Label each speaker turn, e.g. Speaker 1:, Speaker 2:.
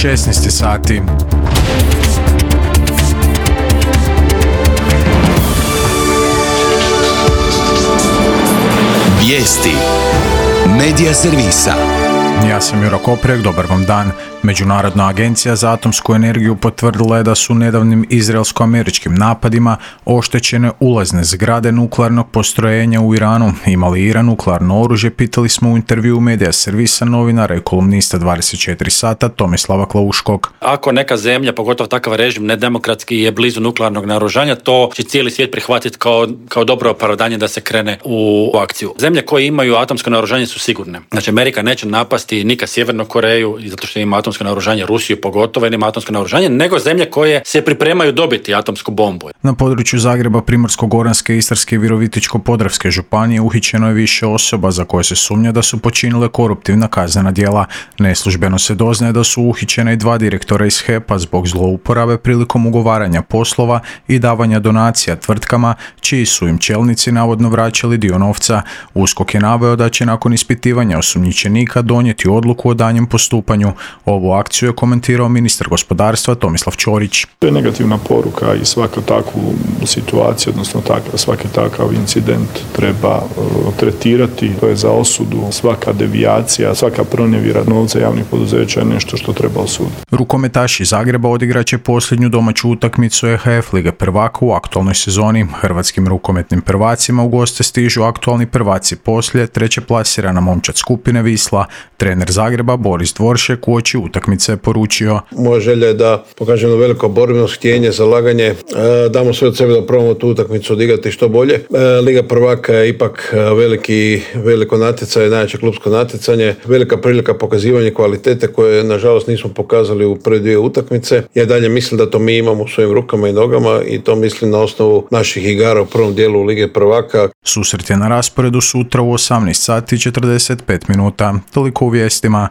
Speaker 1: 16 sati.
Speaker 2: Vijesti Medija servisa.
Speaker 1: Ja sam Juro Koprek, dobar vam dan. Međunarodna agencija za atomsku energiju potvrdila je da su nedavnim izraelsko-američkim napadima oštećene ulazne zgrade nuklearnog postrojenja u Iranu. Ima li Iran nuklearno oružje? Pitali smo u intervjuu Medija servisa novinara i kolumnista 24 sata Tomislava Klauškog.
Speaker 3: Ako neka zemlja, pogotovo takav režim nedemokratski, je blizu nuklearnog naoružanja, to će cijeli svijet prihvatiti kao dobro opravdanje da se krene u akciju. Zemlje koje imaju atomsko naoružanje su sigurne. Znači, Amerika neće napasti nikad Sjevernu Koreju, zato što ima atomsko naoružanje, Rusiju pogotovo ima atomsko naoružanje, nego zemlje koje se pripremaju dobiti atomsku bombu.
Speaker 1: Na području Zagreba, Primorsko-goranske, Istarske i Virovitičko-podravske županije uhićeno je više osoba za koje se sumnja da su počinile koruptivna kaznena djela. Neslužbeno se doznaje da su uhićena i 2 direktora iz HEP-a zbog zlouporabe prilikom ugovaranja poslova i davanja donacija tvrtkama čiji su im čelnici navodno vraćali dio novca. USKOK je naveo da će nakon ispitivanja osumnjičenika donijeti odluku o daljnjem postupanju. Ovu akciju je komentirao ministar gospodarstva Tomislav Ćorić.
Speaker 4: To je negativna poruka i svaku takvu situaciju, odnosno svaki takav incident treba tretirati. To je za osudu. Svaka devijacija, svaka pronevjera novca javnih poduzeća je nešto što treba osuditi.
Speaker 1: Rukometaši Zagreba odigraće posljednju domaću utakmicu EHF Lige prvaka u aktualnoj sezoni. Hrvatskim rukometnim prvacima u goste stižu aktualni prvaci poslije, treće plasirana momčad skupine Wisla. Trener Zagreba Boris Dvoršek uoči utakmice je poručio:
Speaker 5: moja želja je da pokažemo veliko borbenost, htjenje, zalaganje, damo sve od sebe da probamo tu utakmicu odigrati što bolje. Liga prvaka je ipak veliko natjecanje, najjače klupsko natjecanje, velika prilika pokazivanja kvalitete koje nažalost nismo pokazali u prve 2 utakmice. Ja dalje mislim da to mi imamo u svojim rukama i nogama i to mislim na osnovu naših igara u prvom dijelu Lige prvaka.
Speaker 1: Susret je na rasporedu sutra u 18 sati 45 minuta. Toliko u vijestima.